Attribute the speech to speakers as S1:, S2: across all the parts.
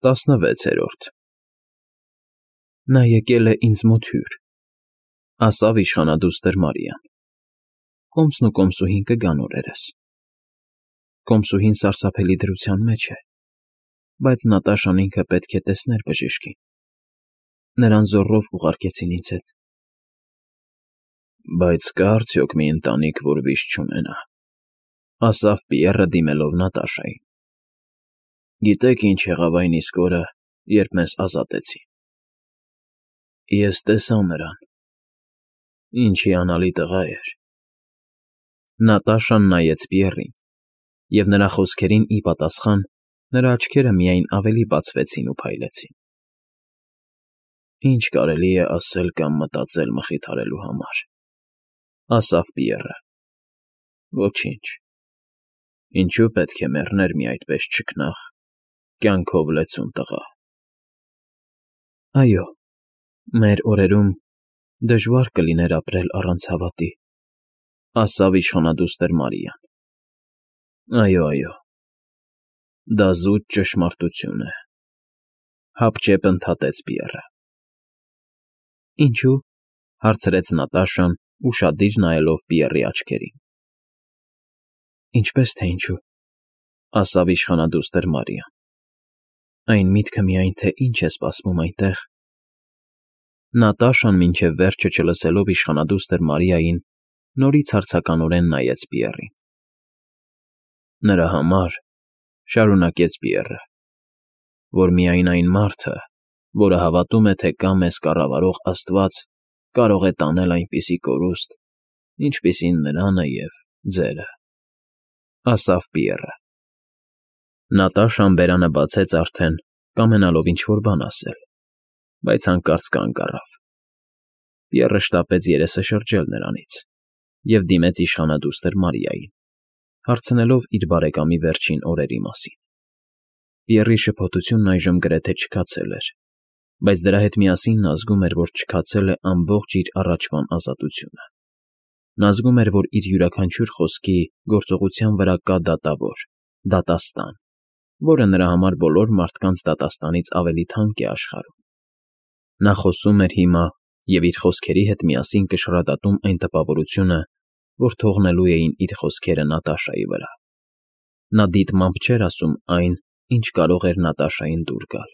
S1: 16-րդ Նա եկել է ինձ մոտ հյուր, ասավ իշխանադուստր Մարիան, կոմսն ու կոմսուհին կգան օրերս։ Կոմսուհին սարսափելի դրության մեջ է, բայց Նատաշան ինքը պետք է տեսներ բժիշկին, նրան զոռով ուղարկեցին ինձ հետ։ Բայց կա՞ արդյոք մի ընտանիք, որ վիշտ չունենա, ասավ Պիեռը դիմելով Նատաշային։ Գիտեք ինչ եղավ այն իսկ օրը, երբ մեզ ազատեցին։ Ես տեսա նրան, ինչ հիանալի տղա էր։ Նատաշան նայեց Պիեռին, և նրա խոսքերին ի պատասխան նրա աչքերը միայն ավելի բացվեցին ու փայլեցին։ Ինչ կարելի է ասել կամ մտածել մխիթարելու համար, ասավ Պիեռը։ Ոչինչ, ինչու պետք է մեռներ մի այդպես չքնաղ, կյանքով լեցուն տղա։ Այո, մեր օրերում դժվար կլիներ ապրել առանց հավատի, ասավ իշխանադուստր Մարիան։ Այո, դա զուտ ճշմարտություն է, հապճեպ ընդհատեց Պիեռը։ Ինչու՞, հարցրեց Նատաշան, ուշադիր նայելով Պիեռի աչքերին։ Ինչպես թե ինչու, ասավ իշխանադուստր Մարիան։ Այն միտքը միայն, թե ինչ է սպասվում այնտեղ։ Նատաշան մինչև վերջը չլսելով իշխանադուստր Մարիային, նորից հարցականորեն նայեց Պիեռին։ Նրա համար, շարունակեց Պիեռը, որ միայն այն մարդը, որը հավատում է, թե կա մեզ կառավարող Աստված, կարող է տանել այնպիսի կորուստ, ինչպիսին նրանը և ձերը, ասավ Պիեռը։ Նատաշան բերանը բացեց արդեն, կամենալով ինչ֊որ բան ասել, բայց հանկարծ կանգ առավ։ Պիեռը շտապեց երեսը շրջել նրանից և դիմեց իշխանադուստր Մարիային, հարցնելով իր բարեկամի վերջին օրերի մասին։ Պիեռի շփոթությունն այժմ գրեթե չքացել էր, բայց դրա հետ միասին նա զգում էր, որ չքացել է ամբողջ իր առաջվան ազատությունը։ Նա զգում էր, որ իր յուրաքանչյուր խոսքի, գործողության վրա կա դատավոր, դատաստան, որը նրա համար բոլոր մարդկանց դատաստանից ավելի թանկ է աշխարհում։ Նա խոսում էր հիմա և իր խոսքերի հետ միասին կշռադատում այն տպավորությունը, որ թողնելու էին իր խոսքերը Նատաշայի վրա։ Նա դիտմամբ չէր ասում այն, ինչ կարող էր Նատաշային դուր գալ,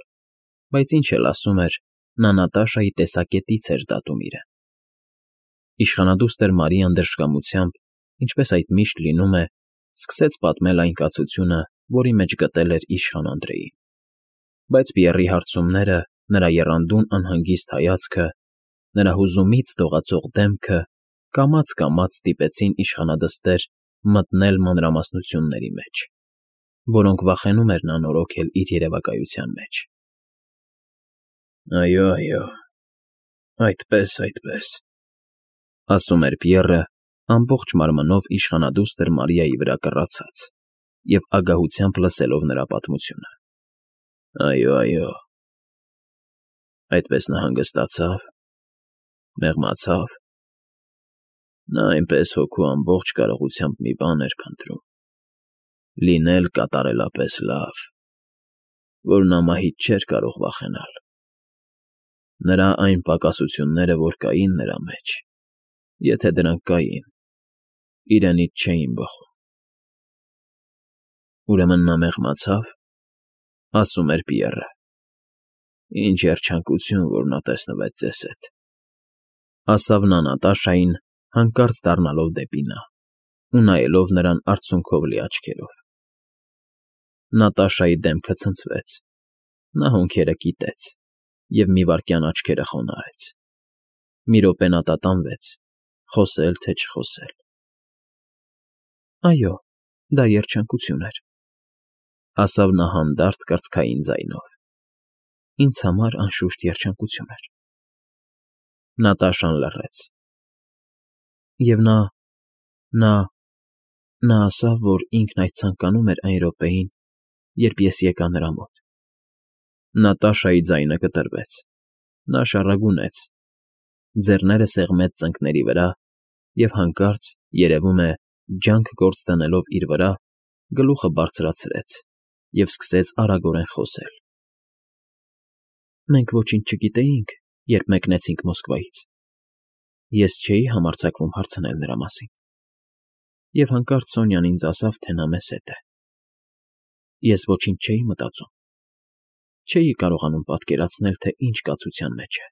S1: բայց ինչ էլ ասում էր, նա Նատաշայի տեսակետից էր դատում իրեն։ Իշխանադուստր Մարիան դժկամությամբ, ինչպես այդ միշտ լինում է, սկսեց պատմել այն կացությունը, որի մեջ գտել էր իշխան Անդրեին։ Բայց Պիեռի հարցումները, նրա եռանդուն անհանգիստ հայացքը, նրա հուզումից դողացող դեմքը կամաց֊կամաց ստիպեցին իշխանադստեր մտնել մանրամասնությունների մեջ, որոնք վախենում էր նա նորոգել իր երևակայության մեջ։ Այո, այդպես, ասում էր Պիեռը, ամբողջ մարմնով իշխանադուստր Մարիայի վրա կռացած և ագահությամբ լսելով նրա պատմությունը։ Այո, այդպես նա հանգստացավ, մեղմացավ։ Նա այնպես հոգու ամբողջ կարողությամբ մի բան էր փնտրում, լինել կատարելապես լավ, որ նա մահից չէր կարող վախենալ։ Նրա այն պակասությունները, որ կային նրա մեջ, եթե դրանք կային, իրենից չէին բխում։ Ուրեմն նա մեղմացավ, ասում էր Պիեռը։ Ինչ երջանկություն, որ նա տեսնվեց ձեզ հետ, ասավ նա Նատաշային, հանկարծ դառնալով դեպի նա ու նայելով նրան արցունքով լի աչքերով։ Նատաշայի դեմքը ցնցվեց, նա հոնքերը կիտեց և մի վայրկյան աչքերը խոնարհեց։ Մի րոպե նա տատանվեց, խոսել թե չխոսել։ Այո, դա երջանկություն էր, ասավ նա հանդարտ կրծքային ձայնով։ Ինձ համար, անշուշտ, երջանկություն էր։ Նատաշան լռեց։ Եվ նա ասավ, որ ինքն այդ ցանկանում էր այն րոպեին, երբ ես եկա նրա մոտ։ Նատաշայի ձայնը կտրվեց, նա շառագունեց, ձեռները սեղմեց ծնկների վրա և հանկարծ, երևում է, ջանք գործ դնելով իր վրա, գլուխը բարձրացրեց և սկսեց արագորեն խոսել։ Մենք ոչինչ չգիտեինք, երբ մեկնեցինք Մոսկվայից։ Ես չէի համարձակվում հարցնել նրա մասին։ Եվ հանկարծ Սոնյան ինձ ասավ, թե նա մեզ հետ է։ Ես ոչինչ չէի մտածում։ Չէի կարողանում պատկերացնել, թե ինչ կացության մեջ է։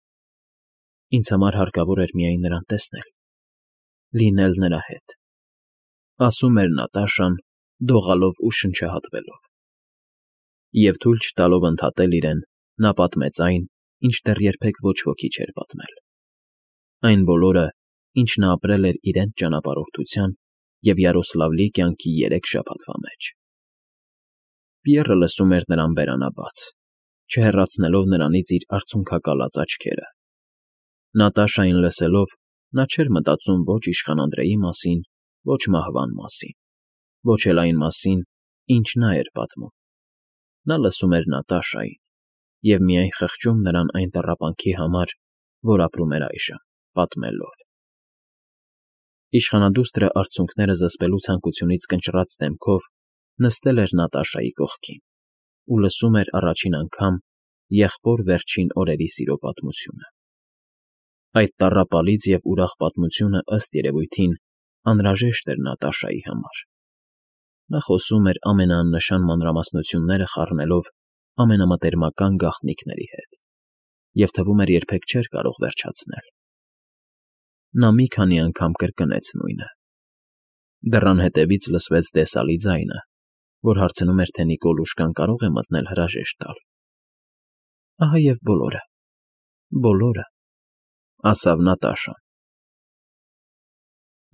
S1: Ինձ համար հարկավոր էր միայն նրան տեսնել, լինել նրա հետ, ասում էր Նատաշան, դողալով ու շնչահատվելով։ Եվ թույլ չտալով ընդհատել իրեն, նա պատմեց այն, ինչ դեռ երբեք ոչ ոքի չէր պատմել։ Այն բոլորը, ինչ նա ապրել էր իրենց ճանապարհորդության և Յարոսլավլի կյանքի 3 շաբաթվա մեջ։ Պիեռը լսում էր նրան բերանաբաց, չհեռացնելով նրանից իր արցունքակալած աչքերը։ Նատաշային լսելով, նա չէր մտածում ոչ իշխան Անդրեի մասին, ոչ մահվան մասին, ոչ էլ այն մասին, ինչ նա էր պատմում։ Նա լսում էր Նատաշային և միայն խղճում նրան այն տառապանքի համար, որ ապրում էր այժմ, պատմելով։ Իշխանադուստրը արցունքները զսպելու ցանկությունից կնճռած դեմքով նստել էր Նատաշայի կողքին ու լսում էր առաջին անգամ եղբոր վերջին օրերի սիրո պատմությունը։ Այդ տառապալից և ուրախ պատմությունը, ըստ երևույթին, անհրաժեշտ էր Նատաշայի համար։ Նա խոսում էր ամենաաննշան մանրամասնությունները խառնելով ամենամտերմական գաղտնիքների հետ, և թվում էր երբեք չէր կարող վերջացնել։ Նա մի քանի անգամ կրկնեց նույնը։ Դռան հետևից լսվեց տեսալի ձայնը, որ հարցնում էր, թե Նիկոլուշկան կարող է մտնել հրաժեշտ տալ։ Ահա և բոլորը, բոլորը, ասավ Նատաշան։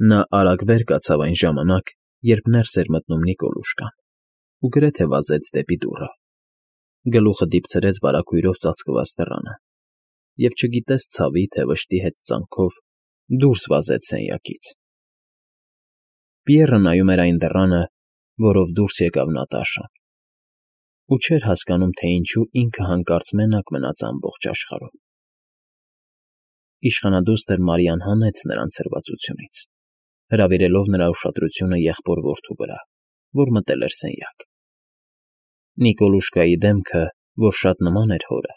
S1: Նա արագ վեր կացավ այն ժամանակ, երբ ներս էր մտնում Նիկոլուշկան, ու գրեթե վազեց դեպի դուռը։ Գլուխը դիպցրեց վարագույրով ծածկված դռանը և չգիտես ցավի, թե վշտի հետ ծանքով դուրս վազեց սենյակից։ Պիեռը նայում էր այն դռանը, որով դուրս եկավ Նատաշան, ու չէր հասկանում, թե ինչու ինքը հանկարծ մենակ մնաց ամբողջ աշխարհում։ Իշխանադուստր Մարիան հանեց նրան ցրվածությունից, հրավիրելով նրա ուշադրությունը եղբոր-որդու վրա, որ մտել էր սենյակ։ Նիկոլուշկայի դեմքը, որ շատ նման էր հորը,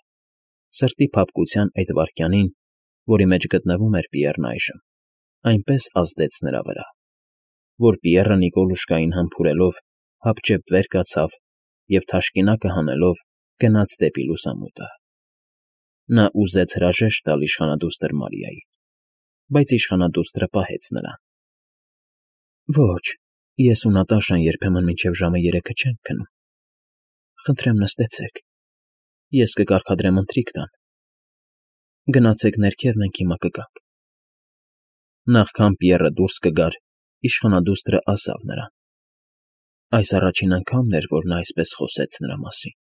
S1: սրտի փափկության այդ վայրկյանին, որի մեջ գտնվում էր Պիեռն այժմ, այնպես ազդեց նրա վրա, որ Պիեռը Նիկոլուշկային համբուրելով հապճեպ վեր կացավ և թաշկինակը հանելով գնաց դեպի լուսամուտը։ Նա ուզեց հրաժեշտ տալ իշխանադուստր Մարիային, բայց իշխանադուստրը պահեց նրան։ Ոչ, ես ու Նատաշան երբեմն մինչև ժամը 3-ը չենք քնում։ Խնդրեմ նստեցեք, ես կկարգադրեմ ընթրիք տան։ Գնացեք ներքև, մենք հիմա կգանք։ Նախքան Պիեռը դուրս կգար, իշխանադուստրը ասավ նրան. Այս առաջին անգամն էր, որ նա այսպես խոսեց նրա մասին։